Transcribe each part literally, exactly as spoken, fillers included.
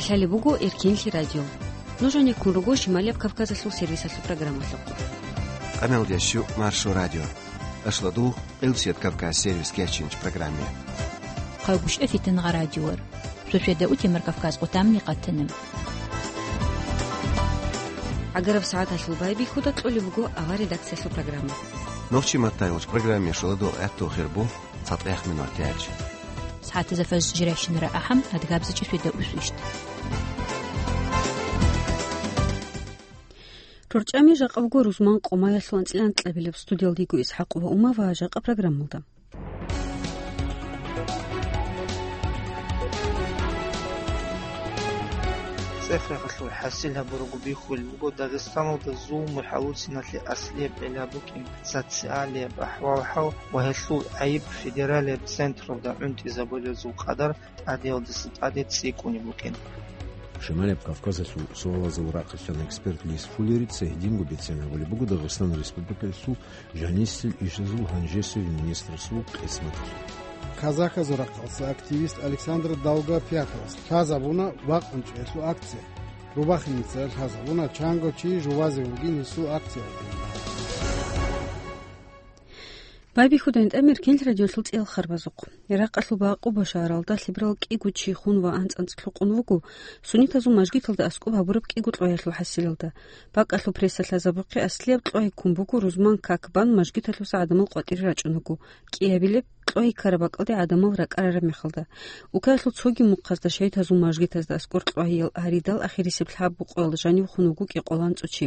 Лъалеб буго Эркенлъи радио. Нуж гьанеккун руго Шималияб Кавказалъул сервисалъул программалъухъ. Къаналдящу Маршо радио. Ашладу Къилсият Кавказ сервис кечинч программе. Хъалгушев Фитнагъа радиор. Суседа утемар Кавказ къутамни къатанам. ГӀагараб сагӀаталъул байбихьуда кьолеб буго авар редакциялъул программа. Нохчи маттайгъуч программе шуладул гӀатту хирбу цатӀех минур тяч. СагӀатазда фаж жирайщинара ахӀам адгабзачи суседа усвищт. РорчӀами жакъа буго рузман къомаялъул анцӀила анкьабилеб студиялдего ИсхӀакъ ва Ума ва жакъа программалда. ЦӀех-рехалъул хӀасил гьабурабго бихьулеб буго Дагъистаналда зулму хӀалуциналъе аслияб гӀилла букӀин, социалияб ахӀвал-хӀал ва гьелъул гӀайиб федералияб централда гӀунтӀизабулезул къадар тӀадеялдаса тӀаде цӀикӀкӀунеб букӀин. Шималияб Кавказалъул суалазул рахъалъан эксперт Лис Фуллерица гьединго бицен гьабулеб буго Дагъистан Республикалъул жанисел ишазул гьанжесев министрасул къисматалъул. Казахазул рахъалъа активист Александр Долгопяковас лъазабуна бакъунчӀеялъул акция. Рубахиница лъазабуна чанго чи жувазе вугин гьесул акциялда. Байбихьуда гьанже Эркенлъи радиолъул цӀеял харбазухъ. Иракъалъул бакъу Башаралда лъеберал кӀиго чи хун ва анцӀ-анцӀ лъукъун вуго, суннитазул мажгиталда аскӀоб гьабураб кӀиго кьваялъул хӀасилалда. БакӀалъул пресса лъазабухъе аслияб кьвай ккун буго рузман как бан мажгиталъуса гӀадамал къватӀире рачӀун вуго, кӀиабилеб кьвай ккараб бакӀалде гӀадамал ракӀарараб мехалда. Улкаялъул цоги мухъазда шагьидазул мажгитазда аскӀор кьвайял гьаридал ахирисеб лъабго къоялда жанив хун вуго кӀикъоялда анцӀго чи.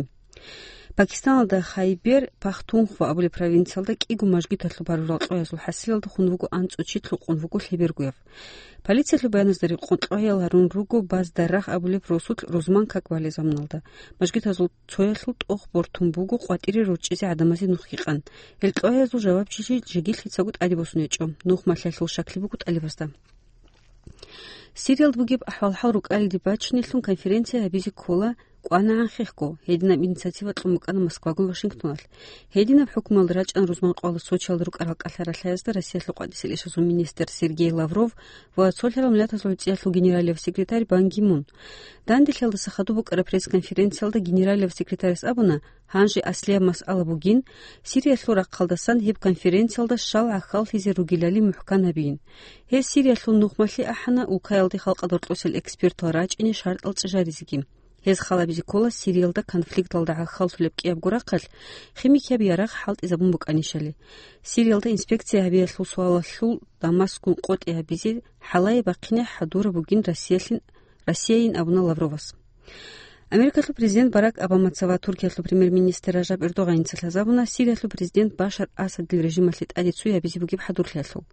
Пакистаналда Хайбер Пахтунхва абулеб провинциялда кӀиго мажгиталъул барурал кьваязул хӀасилалда хун вуго анцӀго чи, лъукъун вуго лъебергояв. Полициялъул баяназда рекъон кьваял гьарун руго Баздарагь абулеб росулъ рузман как балеб заманалда. Мажгитазул цоялъул тӀох бортун буго къватӀире рорчӀизе гӀадамазе нух гьикъан. Гьел кьваязул жавабчилъи жеги лъицаго тӀаде босун гьечӀо. Нух малъиялъул щаклъи буго тӀалибазда. Сириялда бугеб ахӀвал-хӀал рукӀалиде бачинелъун конференция гьабизе ккола кӀванагӀан хехго, гьединаб инициатива кьун букӀана Москвагун Вашингтоналъ. Гьединаб хӀукмуялда рачӀана рузман къоялда Сочиялда рукӀарал кӀалъай ралъаязда Россиялъул къватӀиса ил ишазул министр Сергей Лавров ва Цолъарал Миллатазул ГӀицӀиялъул генералияб секретарь Бан Ги Мун. Данделъиялдаса хадуб букӀараб пресс-конференциялда генералияб секретарас абуна, гьанже аслияб масъала бугин, Сириялъул рахъалдасан гьеб конференциялда щал гӀахьаллъизе ругелали мухӀкан гьабиин. Гьез Сириялъул нухмалъи ахӀана, улкаялде халкъалда рокьосел экспертал рачӀине шартӀал чӀажаризеги. Гьез халабизе ккола Сириялда конфликталда гӀахьаллъулеб кӀиябго рахъалъ химикияб ярагъ хӀалтӀизабун букӀанищали. Сириялда инспекция гьабиялъул суалалъул Дамаскгун къотӀи гьабизе хӀалае бахъине хӀадураб бугин Россиялъин, Россияйин абуна Лавровас. Америкалъул президент Барак Обамаца ва Туркиялъул премьер-министр Ражаб Эрдогъаница лъазабуна Сириялъул президент Башар Асадил режималъе тӀаде цой гьабизе бугеб хӀадурлъиялъул.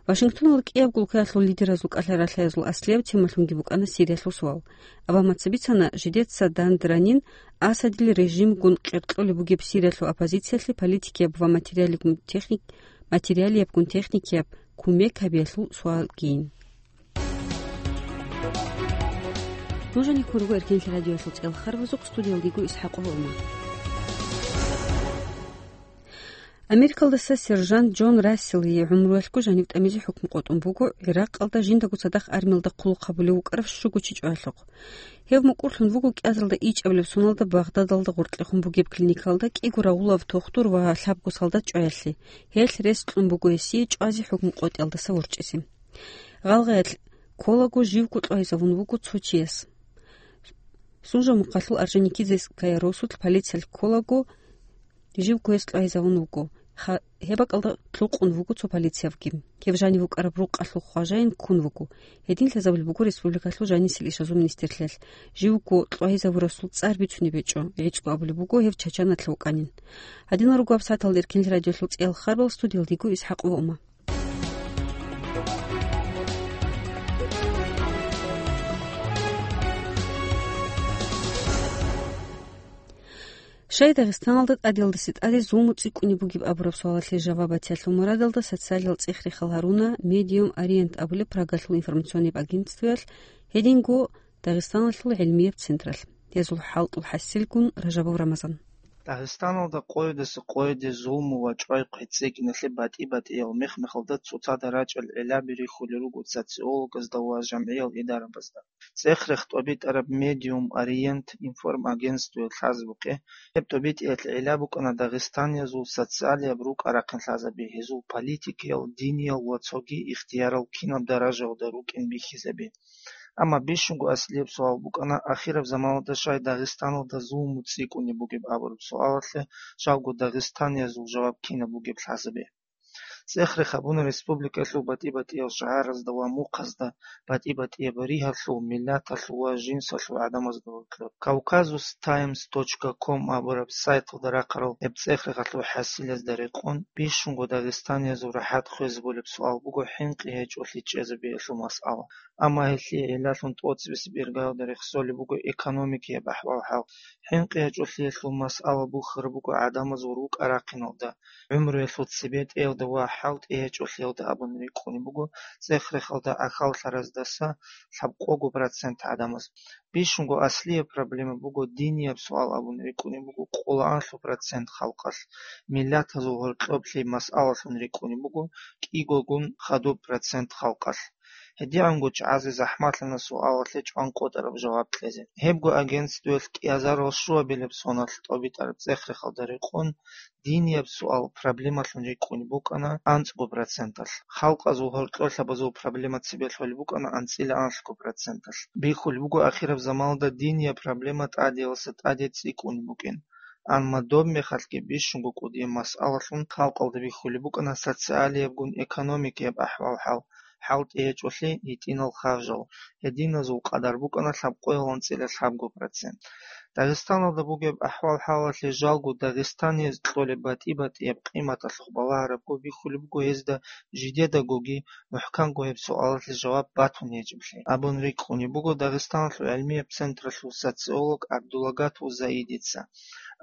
Вашингтоналда кӀиябго улкаялъул лидеразул кӀалъай ралъаязул аслияб темалъунги букӀана Сириялъул суал. Обамаца бицана, жидеца дандеранин Асадил режимгун къеркьолеб бугеб Сириялъул оппозициялъе политикияб ва материалиябгун техник-, материалиябгун техникияб кумек гьабиялъул суалгийин. Нуж гьанеккун руго Эркенлъи радиоялъул цӀеял харбазухъ, студиялда йиго ИсхӀакъ ва Ума. Америкалдаса сержант Джон Расселие гӀумруялъго жанив тӀамизе хӀукму къотӀун буго Иракъалда жиндаго цадахъ армиялда хъулухъ гьабулев вукӀарав щуго чи чӀваялъухъ. Гьев мукӀурлъун вуго кӀиазарда ичӀабилеб соналда Багъдадалда гъоркьехун бугеб клиникалда кӀиго рагъулав тухтур ва лъабго солдат чӀваялъе. Гьелъ рес кьун буго гьесие чӀвазе хӀукму къотӀиялдаса ворчӀизе. Гъалгъаялъ кколаго живго кьвайзавун вуго цо чияс. Сунжа-Мухъалъул Орджоникидзеская росулъ полициялъ кколаго живго гьес кьвайзавун вуго. Ха-, гьеб бакӀалда лъукъун вуго цо полициявги. Гьев жанив вукӀараб рукъалъул хважаин ккун вуго. Гьедин лъазабулеб буго республикалъул жанисел ишазул министрлъиялъ. Живго кьвайзавурасул цӀар бицунеб гьечӀо, гӀицӀго абулеб буго гьев Чачаналъ вукӀанин. Гьадинал руго гьаб сагӀаталда Эркенлъи радиоялъул цӀеял харбал, студиялда йиго ИсхӀакъ ва Ума. Щай Дагъистаналда тӀадеялдаса тӀаде зулму цӀикӀкӀунеб бугеб абураб суалалъе жаваб батиялъул мурадалда социалияб цӀех-рехал гьаруна Медиум Ориент абулеб Прагалъул информационный агентствоялъ, гьединго Дагъистаналъул гӀилмияб централъ. Гьезул хӀалтӀул хӀасилгун Ражабов Рамазан. Дагъистаналда къоядаса къояде зулму ва чӀвай-хъвей цӀикӀкӀиналъе батӀи-батӀиял мех-мехалда цоцазда рачӀарал гӀиллаби рихьулел руго социологазда ва жамгӀиял идарабазда. ЦӀех-рех тӀобитӀараб Медиум Ориент информагентствоялъ лъазабухъе, гьеб тӀобитӀиялъ гӀилла букӀана дагъистаниязул социалияб рукӀа-рахъин лъазаби, гьезул политикиял, диниял ва цоги ихтиярал кинаб даражаялда рукӀин бихьизаби. Амма бищунго аслияб суал букӀана, ахираб заманалда щай Дагъистаналда зулму цӀикӀкӀунеб бугеб абураб суалалъе, жалго дагъистаниязул жаваб кинаб бугеб лъазабе. ЦӀех-рех гьабуна республикаялъул батӀи-батӀиял шагьаразда ва мухъазда батӀи-батӀияб ригьалъул, миллаталъул ва жинсалъул гӀадамазда гьоркьоб. Кавказус Таймс точка ком абураб сайталда рахъарал гьеб цӀех-рехалъул хӀасилазда рекъон, бищунго дагъистаниязул рахӀат хвезабулеб суал буго хӀинкъи гьечӀолъи чӀезабиялъул масъала. Амма гьелъие гӀиллалъун тӀоцебесеб иргаялда рехсолеб буго экономикияб ахӀвал-хӀал. ХӀинкъи гьечӀолъиялъул масъала бухьараб буго гӀадамазул рукӀа-рахъиналда, гӀумруялъул цебетӀеялда ва хӀалтӀи гьечӀолъиялда абун рикӀкӀунеб буго, цӀех-рехалда гӀахьаллъараздаса лъабкъого процент гӀадамаз. Бищунго аслияб проблема буго динияб суал абун рикӀкӀунеб буго къолоанлъу процент халкъалъ, миллатазул гьоркьоблъи масъалалъун рикӀкӀунеб буго кӀигогун хадуб процент халкъалъ. ГьедигӀанго чӀазе захӀмалъана суалалъе чӀванкъотӀараб жаваб кьезе. Гьебго агентствоялъ кӀиазарал щуабилеб соналъ тӀобитӀараб цӀех-рехалда рекъон, динияб суал проблемалъун рикӀкӀунеб букӀана анцӀго проценталъ, халкъазул гьоркьоблъиябазул проблема цебе лъолеб букӀана анцӀила анлъго проценталъ. Бихьулеб буго ахираб заманалда динияб проблема тӀадеялъа тӀаде цӀикӀкӀунеб букӀин. Амма доб мехалъги бищунго кӀудияб масъалалъун халкъалда бихьулеб букӀана социалиябгун экономикияб ахӀвал-хӀал, хӀалтӀи гьечӀолъи, гьитӀинал харжал, гьединазул къадар букӀана лъабкъоялда анцӀила лъабго процент. Дагъистаналда бугеб ахӀвал-хӀалалъе жалго дагъистанияз кьолеб батӀи-батӀияб къиматалъухъ балагьарабго бихьулеб буго гьезда жидедагоги мухӀканго гьеб суалалъе жаваб батун гьечӀеблъи. Абун рикӀкӀунеб буго Дагъистаналъул гӀилмияб централъул социолог ГӀабдулагатул Заидица.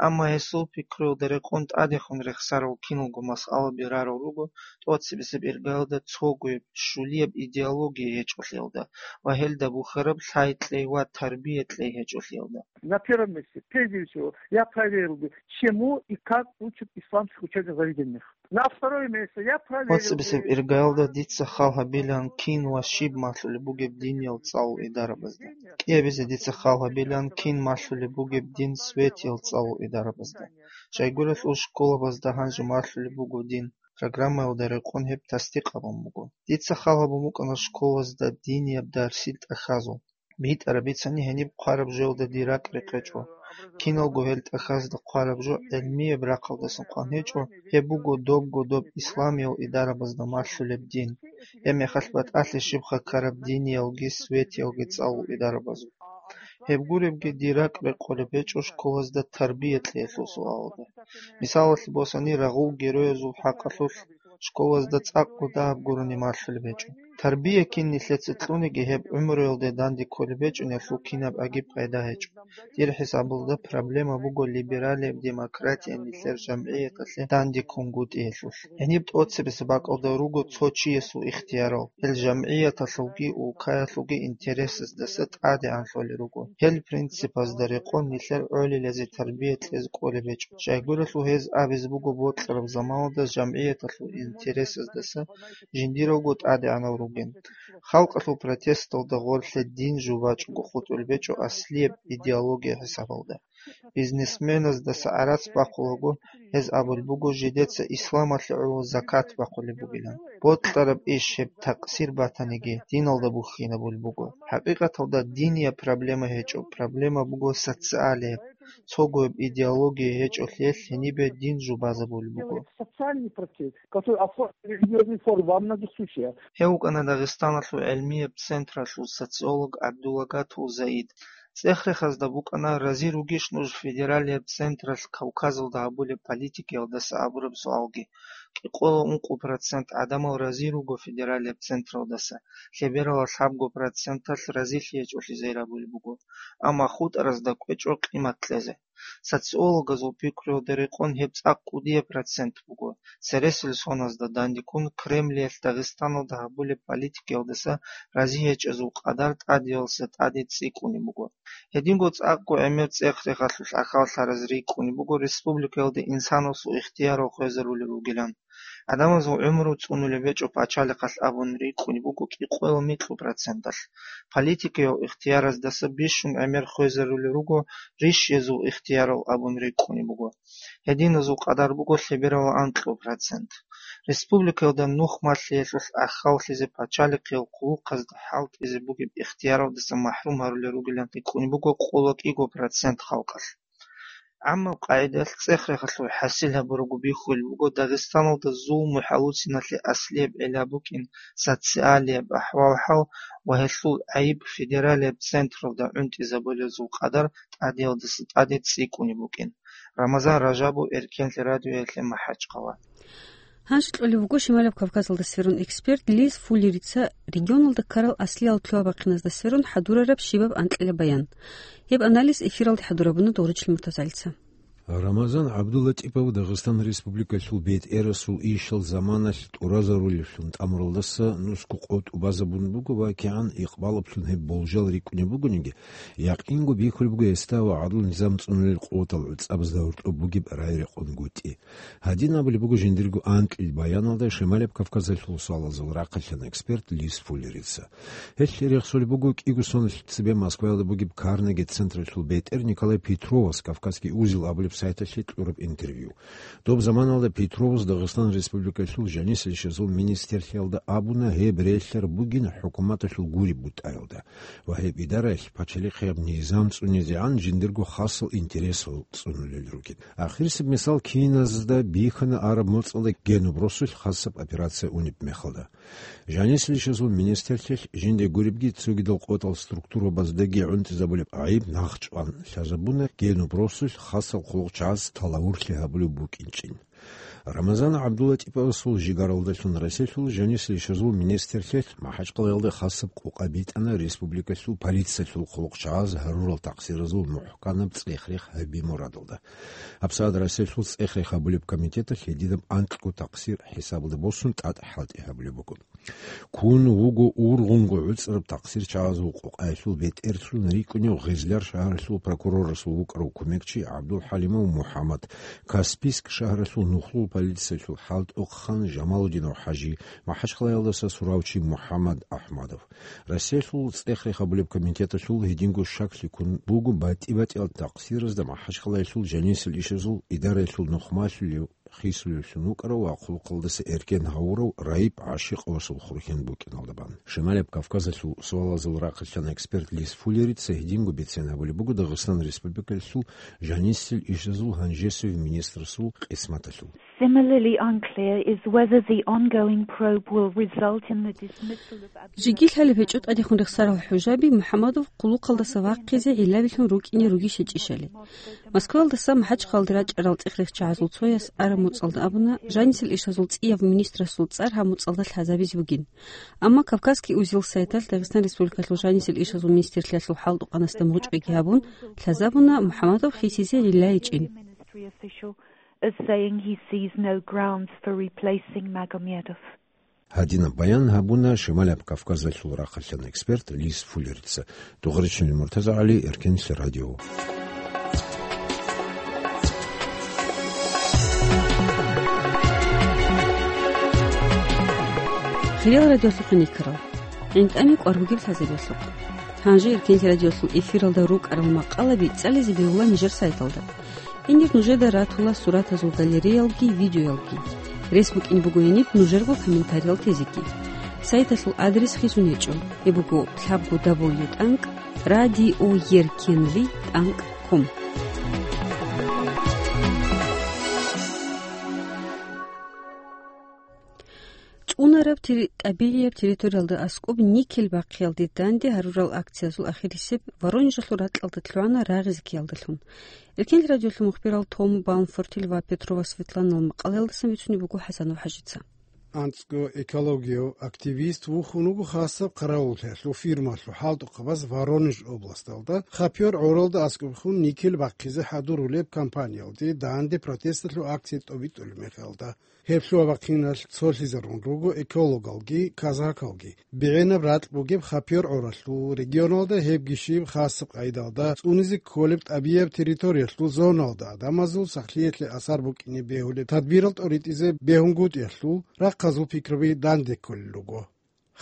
Амма гьесул пикруялда рекъон тӀадехун рехсарал киналго масъалаби рарал руго тӀоцебесеб иргаялда цогояб, щулияб идеология гьечӀолъиялда ва гьелда бухьараб лъай кьей ва тарбия кьей гьечӀолъиялда. На первом месте, прежде всего, я проверил бы, чему и как учат в исламских учебных заведениях. На второе место, я проверил бы... ТӀоцебесеб иргаялда дица хал гьабилан кин ва щиб малъулеб бугеб диниял цӀалул идарабазда. КӀиабизе дица хал гьабилан кин малъулеб бугеб дин светиял цӀалул идарабазда. Щайгурелъул школабазда гьанже малъулеб буго дин, программаялда рекъон гьеб тасдикъ гьабун буго. Дица хал гьабун букӀана школазда динияб дарсил тӀахьазул. БитӀараб бицани гьениб хъвараб жоялда дир ракӀ рекъечӀо. Киналго гьел тӀахьазда хъвараб жо гӀилмияб рахъалдасан хъван гьечӀо, гьеб буго добго доб исламиял идарабазда малъулеб дин. Гьеб мехалъ батӀалъи щибха ккараб диниялги светиялги цӀалул идарабазул. Гьеб гуребги дир ракӀ рекъолеб гьечӀо школазда тарбия кьеялъул суалалда. Мисалалъе босани, рагъул героязул хӀакъалъулъ школазда цӀакъго дагьаб гурони малъулеб гьечӀо. Тарбия кин нилъеца кьуниги, гьеб гӀумруялде данде кколеб гьечӀо, нилъул кинаб аги пайда гьечӀо. Дир хӀисабалда проблема буго либералияб демократия нилъер жамгӀияталъе данде ккунгутӀиялъулъ. Гьениб тӀоцебесеб бакӀалда руго цо чиясул ихтиярал, гьел жамгӀияталъулги улкаялъулги интересаздаса тӀадегӀанлъулел руго. Гьел принципазда рекъон нилъер гӀолилазе тарбия кьезе кӀолеб гьечӀо. Щайгурелъул гьез абизе буго бокьараб заманалда жамгӀияталъул интересаздаса жиндиралго тӀадегӀанал ругин. Халкъалъул протесталда гъорлъе дин жубачӀого хутӀулеб гьечӀо аслияб идеология хӀисабалда. Бизнесменаздаса гӀарац бахъулаго, гьез абулеб буго жидеца исламалъе гӀоло закат бахъулеб бугилан. Бокьараб иш гьеб такъсир батаниги, диналда бухьинабулеб буго. ХӀакъикъаталда динияб проблема гьечӀо, проблема буго социалияб, цогояб идеология гьечӀолъиялъ гьенибе дин жубазабулеб буго. Социальный процесс, который оформлен религиозной формой во многих случаях. Гьев вукӀана Дагъистаналъул гӀилмияб централъул социолог ГӀабдулагатул Заид. ЦӀех-рехазда букӀана, рази ругищ нуж федералияб централъ Кавказалда гьабулеб политикаялдаса абураб суалги. КӀикъоялда ункъо процент гӀадамал рази руго федералияб централдаса, лъебералда лъабго проценталъ разилъи гьечӀолъи зайрабулеб буго, амма хутӀаразда кӀвечӀо къимат кьезе. Социологазул пикруялда рекъон гьеб цӀакъ кӀудияб процент буго. Цересел соназда дандеккун Кремлиялъ Дагъистаналда гьабулеб политикаялдаса разие гьечӀезул къадар тӀадеялдаса тӀаде цӀикӀкӀунеб буго. Гьединго цӀакъго гӀемер цӀех-рехалъулъ ахӀвал-лъаразе рикӀкӀунеб буго республикаялда инсанасул ихтиярал хвезарулел ругилан. ГӀадамазул гӀумру цӀунулеб гьечӀо пачалихъалъ абун рикӀкӀунеб буго кӀикъоялда микьго проценталъ. Политикиял ихтияраздаса бищун гӀемер хвезарулел руго рищиязул ихтиярал абун рикӀкӀунеб буго. Гьединазул къадар буго лъебералда анкьго процент. Республикаялда нух малъиялъулъ ахӀваллъизе пачалихъиял хъулухъазда хӀалтӀизе бугеб ихтияралдаса махӀрум гьарулел ругилан рикӀкӀунеб буго къоло кӀиго процент халкъалъ. ГӀаммаб къагӀидаялъ цӀех-рехалъул хӀасил гьабурабго бихьулеб буго Дагъистаналда зулму-хӀалуцинлъи аслияб гӀилла букӀин, социалияб ахӀвал-хӀал ва гьелъул гӀайиб федералияб централда гӀунтӀизабулезул къадар тӀадеялдаса тӀаде цӀикӀкӀунеб букӀин. Рамазан Ражабов, Эркенлъи радиоялъе, МахӀачхъала. Гьанже кьолеб буго Шималаб Кавказалда сверун эксперт Лиз Фуллерица регионалда ккарал аслияб лъугьа-бахъиназда сверун хӀадурараб щибаб анкьила баян. Гьеб анализ эфиралде хӀадурабуна Догъричил МуртазагӀилица. Рамазан ГӀабдуллатӀипов Дагъистан Республикалъул бетӀерасул ишал заманалъ тӀуразарулевлъун тӀамуралдаса нусго къо тӀубазабун буго ва кигӀан икъбалаблъун гьеб болжал рикӀкӀунеб бугониги, якъинго бихьулеб буго гьесда ва гӀадлу-низам цӀунулел къуватал гӀуцӀабазда гьоркьоб бугеб рагӀи-рекъонгутӀи. Гьадин абулеб буго жиндирго анкьил баяналда Шималаб Кавказалъул суалазул рахъалъан эксперт Лиз Фуллерица. Гьелъ рехсолеб буго кӀиго соналъ цебе Москваялда бугеб Карнеги централъул бетӀер Николай Петровас «Кавказский узел» абулеб сайталъе кьураб интервью. Доб заманалда Петровас Дагъистан Республикалъул жанисел ишазул министрлъиялда абуна гьеб релълъараб бугин хӀукуматалъул гуреб бутӀаялда ва гьеб идараялъ пачалихъияб низам цӀунизегӀан жиндирго хасал интересал цӀунулел ругин. Ахирисеб мисал киназда бихьана араб моцӀалда генуб росулъ хасаб операция унеб мехалда. Жанисел ишазул министрлъиялъ жинде гуребги цогидал къотӀал структурабаздаги гӀунтӀизабулеб гӀайиб нахъчӀван лъазабуна генуб росулъ хасал хъулухъчагӀаз талавурлъи гьабулеб букӀинчӀин. Рамазан ГӀабдуллатӀиповасул жигаралдалъун Россиялъул жанисел ишазул министрлъиялъ МахӀачхъалаялда хасаб къокъа битӀана республикалъул полициялъул хъулухъчагӀаз гьарурал такъсиразул мухӀканаб цӀех-рех гьаби мурадалда. ГьабсагӀат Россиялъул цӀех-рех гьабулеб комитеталъ гьединаб анкьго такъсир хӀисабалда босун тӀад хӀалтӀи гьабулеб буго. Ккун вуго ургъунго гӀуцӀраб такъсирчагӀазул къокъаялъул бетӀерлъун рикӀкӀунев Гъизлар шагьаралъул прокурорасул вукӀарав кумекчи ГӀабдулхӀалимов МухӀаммад, Каспийск шагьаралъул нухлул полициялъул хӀалтӀухъан Жамалудинов ХӀажи, МахӀачхъалаялдаса суравчи МухӀаммад АхӀмадов. Россиялъул цӀех-рех гьабулеб комитеталъул гьединго щаклъи ккун буго батӀи-батӀиял такъсиразда МахӀачхъалаялъул жанисел ишазул идараялъул нухмалъулев хисулевлъун вукӀарав ва хъулухъалдаса эркен гьавурав Раип ГӀашикъовасул хурхен букӀиналда бан. Шималаб Кавказалъул суалазул рахъалъан эксперт Лиз Фуллерица гьединго бицен гьабулеб буго Дагъистан Республикалъул жанисел ишазул гьанжесев министрасул къисматалъул. Similarly unclear is whether the ongoing probe will result in the dismissal of Жеги лъалеб гьечӀо тӀадехун рехсарал ХӀажи МухӀаммадов хъулухъалдаса вахъизе гӀиллабилъун рукӀине ругищ гьечӀищали. Москваялдаса МахӀачхъалаялде рачӀарал цӀех-рехчагӀазул цояс араб моцӀалда абуна, жанисел ишазул цӀияб министрасул цӀар гьаб моцӀалда лъазабизе бугин. Амма «Кавказский узел» сайталъ Дагъистан Республикалъул жанисел ишазул министрлъиялъул хӀалтӀухъанасда мугъчӀвайги гьабун, лъазабуна МухӀаммадов хисизе гӀилла гьечӀин. As saying he sees no grounds for replacing Magomedov. Гьадинаб баян гьабуна Шималаб Кавказалъул рахъалъан эксперт Лиз Фуллерица. Догъричил МуртазагӀали, Эркенлъи радио. Хириял радиолъухъ никарал. ГӀинтӀами кӀвар бугеб лъазабиялъухъ. Гьанже Эркенлъи радиолъул эфиралда рукӀарал макъалаби цӀализе бегьула нижер сайталда. Гьенир нужеда ратула суратазул галереялги видеоялги. Рес букӀине буго гьениб нужерго комментариял тезеги. Сайталъул адрес хисун гьечӀо. Гьеб буго лъабго дабл ю тӀанкӀ радиоеркенлъи тӀанкӀ ком. ЦӀунараб тери-, тӀабигӀияб территориялда аскӀоб никель бахъиялде данде гьарурал акциязул ахирисеб Воронежалъул ракьалда лъугӀана рагъизе ккеялдалъун. Эркенлъи радиолъул мухбирал Том Баумфортил ва Петрова Светланал макъалаялдасан бицунеб буго ХӀасанов ХӀажица. АнцӀго экологияв активист вухун вуго хасаб хъаравуллъиялъул фирмалъул хӀалтӀухъабаз Воронеж областалда, хапёр гӀоралда аскӀобхун никель бахъизе хӀадурулеб компаниялде данде протесталъул акция тӀобитӀулеб мехалда. Гьеб лъугьа-бахъиналъ цолъизарун руго экологалги казакалги. БегӀинаб ракь бугеб хапёр гӀоралъул регионалда, гьебги щиб хасаб къайдалда цӀунизе кколеб тӀабияб территориялъул зоналда адамазул сахлъиялъе асар букӀине бегьулеб тадбирал тӀоритӀизе бегьунгутӀиялъул рахъазул пикраби данде кколел руго.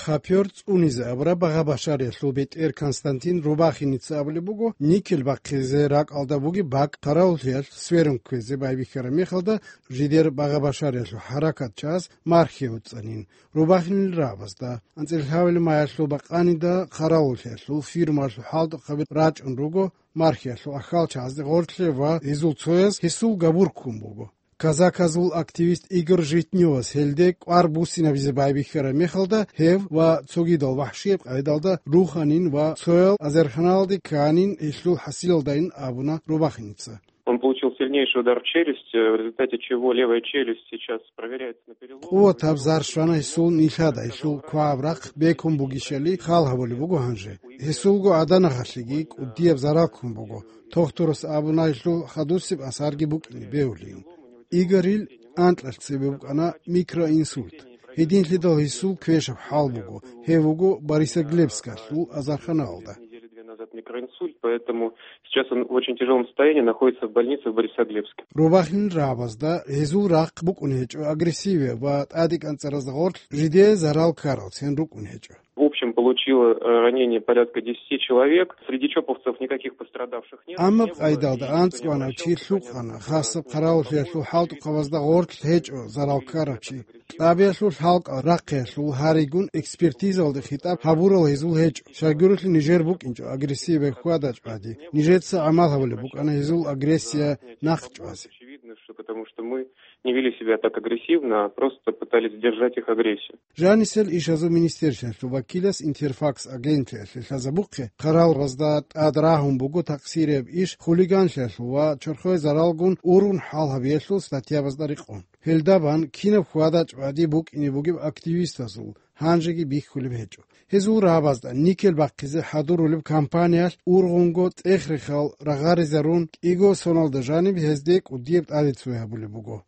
Хапёр цӀунизе абураб багъа-башариялъул бетӀер Константин Рубахиница абулеб буго, никель бахъизе ракӀалда бугеб бакӀ хъаравуллъиялъ сверун кквезе байбихьараб мехалда, жидер багъа-башариялъул хӀаракат чӀаз мархье уцӀцӀанин. Рубахинил рагӀабазда, анцӀила лъабабилеб маялъул бакъанида хъаравуллъиялъул фирмалъул хӀалтӀухъаби рачӀун руго мархьиялъул ахьал чагӀазде гъорлъе ва гьезул цояз гьесул габур ккун буго. Казаказул активист Игорь Житнёвас гьелде кӀвар буссинабизе байбихьараб мехалда, гьев ва цогидал вахӀшияб къайдалда руханин ва цоял азарханалде кканин, гьелъул хӀасилалдайин абуна Рубахиница. Он получил сильнейший удар в челюсть, э, в результате чего левая челюсть сейчас проверяется на перелом. Къуватаб зар щвана гьесул нилъада, гьелъул квагьаб рахъ бекун бугищали хал гьабулеб буго гьанже. Гьесулго гӀаданагъалъеги кӀудияб зарал ккун буго, тохтурас абуна гьелъул хадусеб асарги букӀине бегьулин. Игорил анкьалъ цебе букӀана микроинсульт. Гьединлъидал гьесул квешаб хӀал буго, гьев вуго Борисоглебскалъул азарханалда. Неделю-две назад микроинсульт, поэтому сейчас он в очень тяжелом состоянии находится в больнице в Борисоглебске. Рубахинил рагӀабазда гьезул рахъ букӀун гьечӀо агрессивияб ва тӀаде кӀанцӀаразда гъорлъ жидее зарал ккаралцин рукӀун гьечӀо. В общем, получило, э, ранение порядка десяти человек. Среди чоповцев никаких пострадавших нет. Амма къайдалда анцӀ ванав чи лъукъана, хасаб хъаравуллъиялъул хӀалтӀухъабазда гъорлъ гьечӀо зарал ккарав чи. Кьабиялъул хӀалкӀал рахъиялъул гьаригун экспертизалде хитӀаб гьабурал гьезул гьечӀо, щайгурелъул нижер букӀинчӀо агрессияб хьвада-чӀвади. Нижеца гӀамал гьабулеб букӀана гьезул агрессия нахъчӀвазе. Очевидно, что потому что мы не вели себя так агрессивно, а просто пытались сдержать их агрессию. Жанисел ишазул министерствоялъул вакилас Интерфакс агентлъиялъе лъазабухъе, хъаравулазда тӀад рагьун буго такъсирияб иш хулиганлъиялъул ва чорхое заралгун ургъун хӀал гьабиялъул статьябазда рекъон. Гьелда бан кинаб хьвада-чӀвади букӀине бугеб активистазул гьанжеги бихьулеб гьечӀо. Гьезул рагӀабазда никель бахъизе хӀадурулеб компаниялъ ургъунго цӀех-рехал рагъаризарун, кӀиго соналда жаниб гьезде кӀудияб тӀаде цой гьабулеб буго.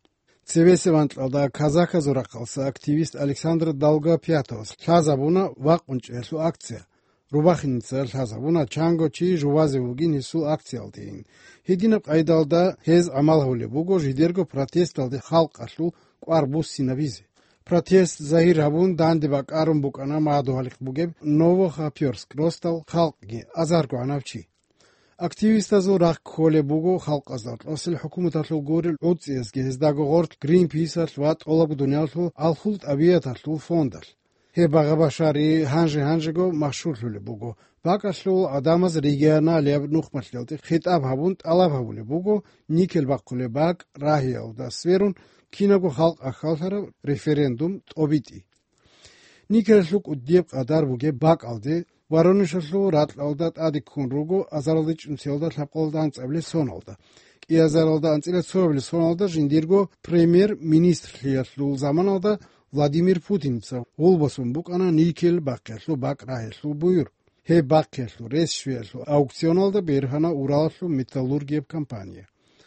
Цебесеб анкьалда казаказул рахъалъа активист Александр Долгопятовас лъазабуна вакъун чӀеялъул акция. Рубахиница лъазабуна чанго чи жувазе вугин гьесул акциялдейин. Гьединаб къайдалда гьез гӀамал гьабулеб буго жидерго протесталде халкъалъул кӀвар буссинабизе. Протест загьир гьабун данде бакӀарун букӀана мадугьалихъ бугеб Новохоперск росдал халкъги, азарго гӀанав чи. Активистазул рахъ кколеб буго халкъазда кьосел хӀукуматалъул гурел гӀуцӀиязги гьездаго гъорлъ Гринписалъ ва тӀолабго дуниялалъул алхул тӀабигӀаталъул фондалъ. Гьеб багъа-башари гьанже-гьанжего машгьурлъулеб буго. БакӀалъул гӀадамаз регионалияб нухмалъиялде хитӀаб гьабун тӀалаб гьабулеб буго никель бахъулеб бакӀ рагьиялда сверун кинабго халкъ ахьаллъараб референдум тӀобитӀи. Никелалъул кӀудияб къадар бугеб бакӀалде Воронежалъул ракьалда тӀаде ккун руго азаралда чӀунциялда лъабкъоялда анцӀабилеб соналда. КӀиазаралда анцӀила цоабилеб соналда жиндирго премьер-министрлъиялъул заманалда Владимир Путинца гъулбасун букӀана никель бахъиялъул бакӀ рагьиялъул буюр. Гьеб бахъиялъул рес щвеялъул аукционалда бергьана Уралалъул металлургияб компания.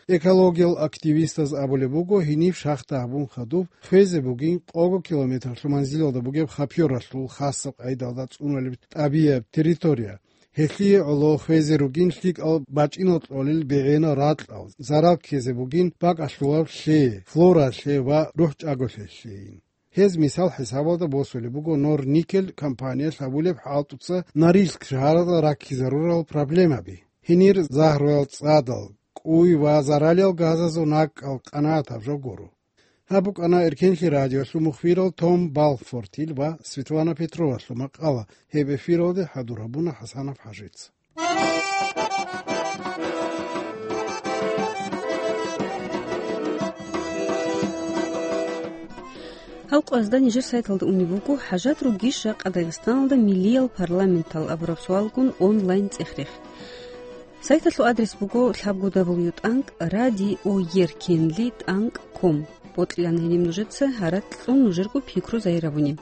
Экологиял активистаз абулеб буго, гьениб шахта гьабун хадуб хвезе бугин къого километрлъул манзилалда бугеб хапёралъул хасаб къайдалда цӀунулеб тӀабияб территория. Гьелъие гӀоло хвезе ругин лъикӀал бачӀинал кьолел бегӀенал ракьал, зарал ккезе бугин бакӀалъулаб лъе, флоралъе ва рухӀчӀаголъиялъейин. Гьез мисал хӀисабалда босулеб буго Норникель компаниялъ гьабулеб хӀалтӀуца Норильск шагьаралда раккизарурал проблемаби. Гьенир загьруял цӀадал, кӀуй ва заралиял газазул накӀкӀал къанагӀатаб жо гуро. Гьаб букӀана Эркенлъи радиолъул мухбирал Том Балфортил ва Светлана Петровалъул макъала, гьеб эфиралде хӀадур гьабуна ХӀасанов ХӀажица. Гьал къвазда нижер сайталда унеб буго, хӀажат ругищ жакъа Дагъистаналда миллиял парламентал абураб суалгун онлайн цӀех-рех. Сайталъул адрес буго лъабго дабл ю тӀанкӀ радиоеркенли тӀанкӀ ком. бокьилан гьениб нужеца гьаракь кьун нужерго пикру загьир гьабуни.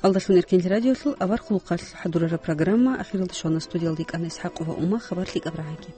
Алдалъун Эркенлъи радиолъул авар хъулухъалъ хӀадурараб программа ахиралде щвана. Студиялда йикӀана ИсхӀакъова Ума. Хабар лъикӀаб рагӀаги.